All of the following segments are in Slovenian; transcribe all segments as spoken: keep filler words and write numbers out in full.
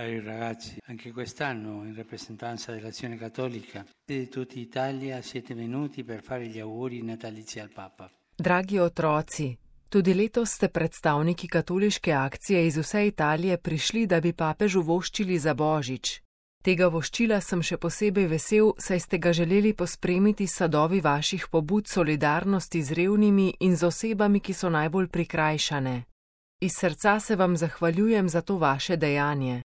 Cari ragazzi, anche quest'anno in rappresentanza dell'Azione Cattolica di tutta Italia siete venuti per fare gli auguri natalizi al Papa. Dragi otroci, tudi letos ste predstavniki katoliške akcije iz vse Italije prišli, da bi papežu voščili za Božič. Tega voščila sem še posebej vesel, saj ste ga želeli pospremiti s sadovi vaših pobud solidarnosti z revnimi in z osebami, ki so najbolj prikrajšane. Iz srca se vam zahvaljujem za to vaše dejanje.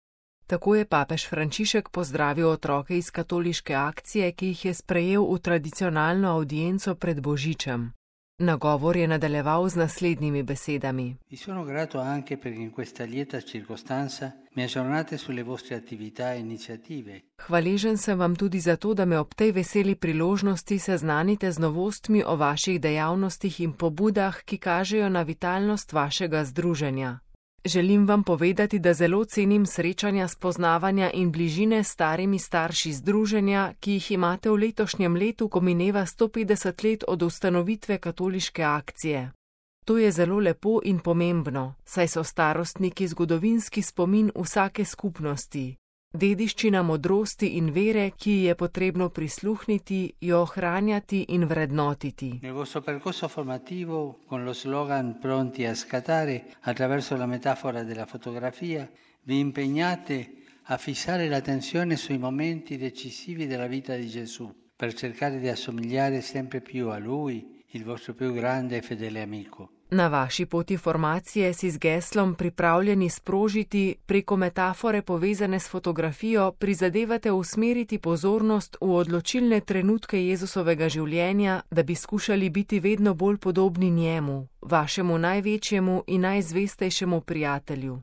Tako je papež Frančišek pozdravil otroke iz katoliške akcije, ki jih je sprejel v tradicionalno avdienco pred Božičem. Nagovor je nadaljeval z naslednjimi besedami. Vi sono grato anche perché in questa lieta circostanza mi aggiornate sulle vostre attività e iniziative. Hvaležen sem vam tudi za to, da me ob tej veseli priložnosti seznanite z novostmi o vaših dejavnostih in pobudah, ki kažejo na vitalnost vašega združenja. Želim vam povedati, da zelo cenim srečanja, spoznavanja in bližine s starimi starši združenja, ki jih imate v letošnjem letu, ko mineva sto petdeset let od ustanovitve katoliške akcije. To je zelo lepo in pomembno, saj so starostniki zgodovinski spomin vsake skupnosti. Dediščina modrosti in vere, ki ji je potrebno prisluhniti, jo ohranjati in vrednotiti. Nel vostro percorso formativo, con lo slogan pronti a scattare, attraverso la metafora della fotografia, vi impegnate a fissare l'attenzione sui momenti decisivi della vita di Gesù, per cercare di assomigliare sempre più a Lui, il vostro più grande e fedele amico. Na vaši poti formacije si z geslom pripravljeni sprožiti preko metafore povezane s fotografijo prizadevate usmeriti pozornost v odločilne trenutke Jezusovega življenja, da bi skušali biti vedno bolj podobni njemu, vašemu največjemu in najzvestejšemu prijatelju.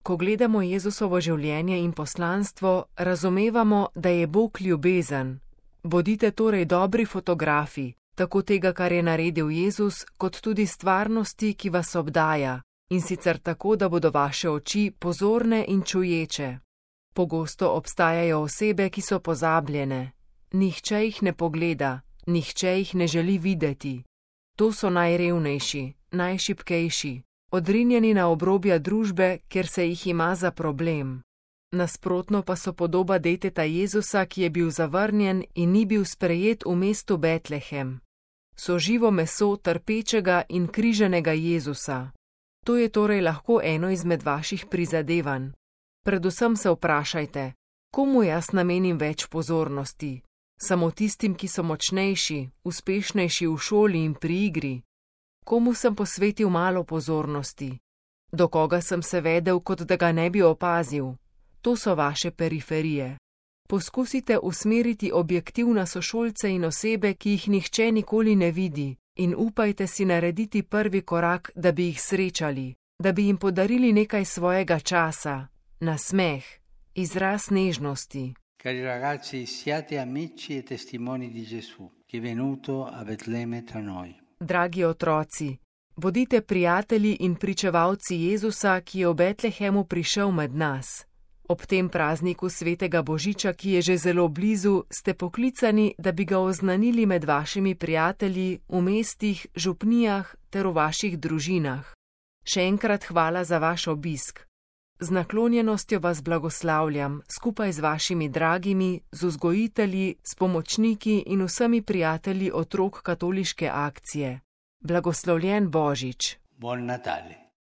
Ko gledamo Jezusovo življenje in poslanstvo, razumevamo, da je Bog ljubezen. Bodite torej dobri fotografi, tako tega, kar je naredil Jezus, kot tudi stvarnosti, ki vas obdaja, in sicer tako, da bodo vaše oči pozorne in čuječe. Pogosto obstajajo osebe, ki so pozabljene. Nihče jih ne pogleda, nihče jih ne želi videti. To so najrevnejši, najšibkejši, odrinjeni na obrobja družbe, ker se jih ima za problem. Nasprotno pa so podoba deteta Jezusa, ki je bil zavrnjen in ni bil sprejet v mestu Betlehem. So živo meso trpečega in križanega Jezusa. To je torej lahko eno izmed vaših prizadevanj. Predvsem se vprašajte, komu jaz namenim več pozornosti? Samo tistim, ki so močnejši, uspešnejši v šoli in pri igri? Komu sem posvetil malo pozornosti? Do koga sem se vedel, kot da ga ne bi opazil? To so vaše periferije. Poskusite usmeriti objektiv na sošolce in osebe, ki jih nihče nikoli ne vidi, in upajte si narediti prvi korak, da bi jih srečali, da bi jim podarili nekaj svojega časa, nasmeh, izraz nežnosti. Cari ragazzi, siate amici e testimoni di Gesù, che è venuto a Betlemme tra noi. Dragi otroci, bodite prijatelji in pričevalci Jezusa, ki je v Betlehemu prišel med nas. Ob tem prazniku svetega Božiča, ki je že zelo blizu, ste poklicani, da bi ga oznanili med vašimi prijatelji v mestih, župnijah ter v vaših družinah. Še enkrat hvala za vaš obisk. Z naklonjenostjo vas blagoslavljam, skupaj z vašimi dragimi, z vzgojitelji, s pomočniki in vsemi prijatelji otrok katoliške akcije. Blagoslovljen Božič. Buon Natale.